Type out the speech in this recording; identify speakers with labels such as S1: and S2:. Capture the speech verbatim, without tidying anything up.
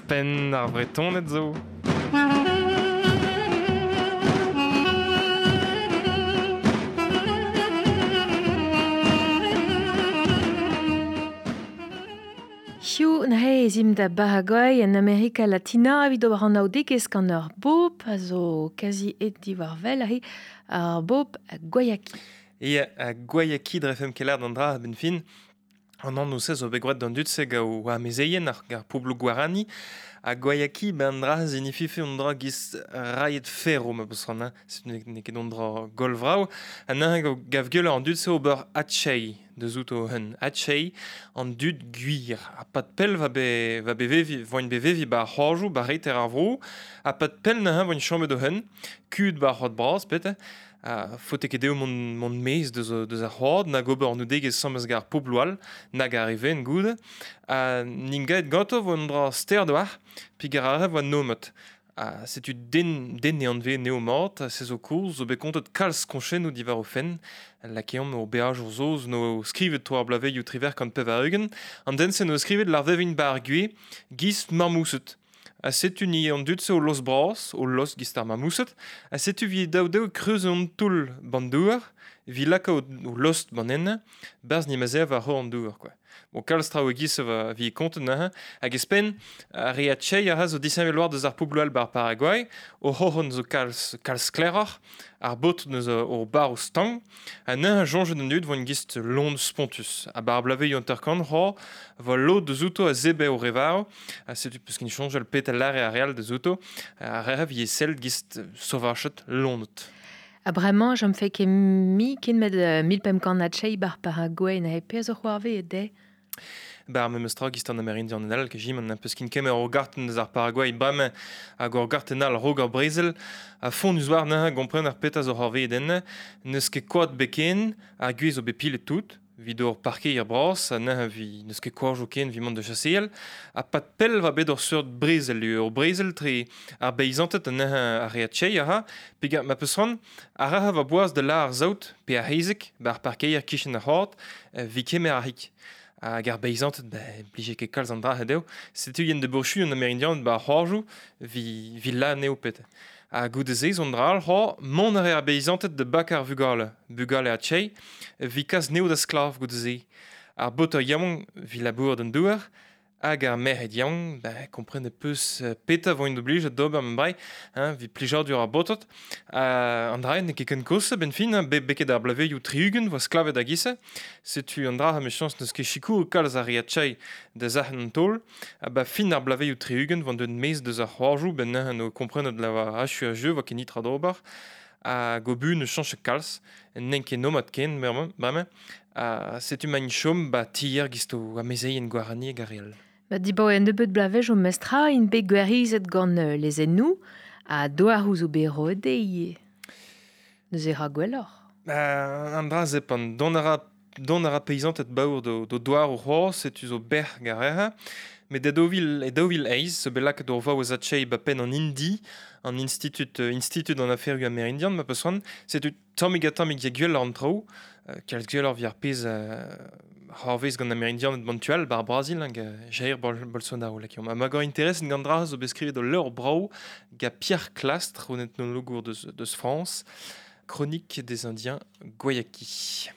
S1: Penn ar Bretoned zo.
S2: Hiu n'he ezim da Paraguay en Amerika Latina evit ober an aodegez gant ur bob a zo kazi et diwar vel ahe ar bob a Guayaki.
S1: E a Guayaki drefem kelar d'an dra a-benn fin. An an ousez zo bet gwraet d'an dud se gao ar mezeien ar gar poblo guarani. A Guayaki ben dra zinifife on dra giz raiet ferro ma peus ran, hein. Ne ket on dra golvrao. An an gav gueul an dud se ober atchei deus out o hun. Atchei an dud gwir. A pat pell va be, va bevevi, voin bevevi ba c'horjou, ba reiter ar vro. A pat pell na voin chomet o hun. Kud ba c'hod bras, pet. A faote ket dezho mont, mont mez deus, deus ar c'hoad, nag ober an oudegez samez gar pobloal, nag arrive en goude. A nin gaet ganto vo an dra ster doar, pi gar arre vo nomet. A setu den, den e anve neo mat, a se zo kourz, zo bet kontet kalz konchennou diwar o fenn, lakeomp o beajour zoz no skrivet toar blaveioù triver kant pevar ugent, an den se no skrivet lar vevin bar gwe, giz marmousset. A setu ni an dud se o los bras, o los giz ar marmousset, a setu vi daou daou kreuz an toull ban douar, vi laka o, o lost ban enne, barz ni mazer war hor an douar, quoi. Bon, kalz traoù e giz va vi kontet neuze, hag espen, ar re atchei a ha zo disheñvel war deus ar pobloù all bar Paraguay, o c'horn zo kalz, kalz skleroc'h, ar bot neus o bar o stang, ha neuze soñjet an dud voint giz lon spontus. A bar blaveioù hanter-kant c'ho, vo lod deus outo a zebe o revar, a setu peus kin soñjal pet al lare a real deus outo, a re vi e sell giz sauvachet lonot.
S2: A bremañ, jom fe ket mi ken met uh, mil pemp kant atchei bar Paraguay na he pezh o c'hoarve e de.
S1: Bar memes tra giz an Amerindian en al, ke jim an peus kin kemer o garten deus ar Paraguay bremañ hag ur garten al rog ar brezel, a font eus war neuze gompren ar petaz o c'hoarve eden, n'eus ket koad beken, ar gwez o bet pilet tout, vid ur parkeier bras, ha neuze vi n'eus ket koajoù ken vi mont da chaseal, ha pat pell va bet ur seurt brezel, ur brezel tre ar beizanted ha neuze ar re atchei aha, pe ma peus ran, ar ra va boaz da la ar zaout, pe ar hezek, bar parkeier kichen ar c'hord, vi kemer ar hik. Hag ar beizanted, ba, blije ket kalz an dra hedeo, setu yen de bourchu an Amerindian ba c'horjoù, vi, vi la neo pet. Ha goude se zon dra al c'hor, mont a re ar beizanted de bak ar vugale, bugale atchei, vi kas neo da sklav goude se. Ar bot ar yaouank vi labour d'an douar, hag ar merc'hed yaouank, ba, kompren e peus peta voint oblijet d'ober ma brai, hein, vi plijadur ar botot. Uh, an dra n'eo ket ken kosa ben fin, hein, be, beket ar blaveioù tri-ugent voa sklavet hag isse. Setu an dra ha me chañs n'eus ket sikour kalz ar re atchei da zac'hen an taol. Ha ba fin ar blaveioù tri-ugent voant deut mez deus ar c'hoarjoù, ben neuze no komprenet la va achu a jeu voa ket nitra d'ober. Hag o bu ne chañch kalz, n'en ket nomad ken, bremañ. Ha setu maint chom ba tier gisto amezeien guarani hag ar real.
S2: Ba dibaoe en nebeut blavej o mestra in bet gwerizet gant uh, lezennoù ha doar ouzh o bet roet dezhe. Neuze ra gwelloc'h.
S1: Ba, an dra zepan, dont a ra, dont a ra peizanted baour do, do doar o c'hoar, setu zo berr gareha. Met e daou vil, e daou vil eizh, zo bet lakaet ur vaouez atchei ba penn an Indi, an institut, institut an aferioù amerindian, ma peus ran, setu tammig ha tammig ya gwell an traoù, uh, kalz gwell ar vi ar pezh uh, c'hoarvez gant Amerindian et bantual bar Brazil hag Jair Bol Bolsonaro lakeomp. Ha ma gant interes gant dra zo bet skrivet o leur brao ga Pierre Clastre, un ethnologour deus, deus France, Chronique des Indiens Guayaki.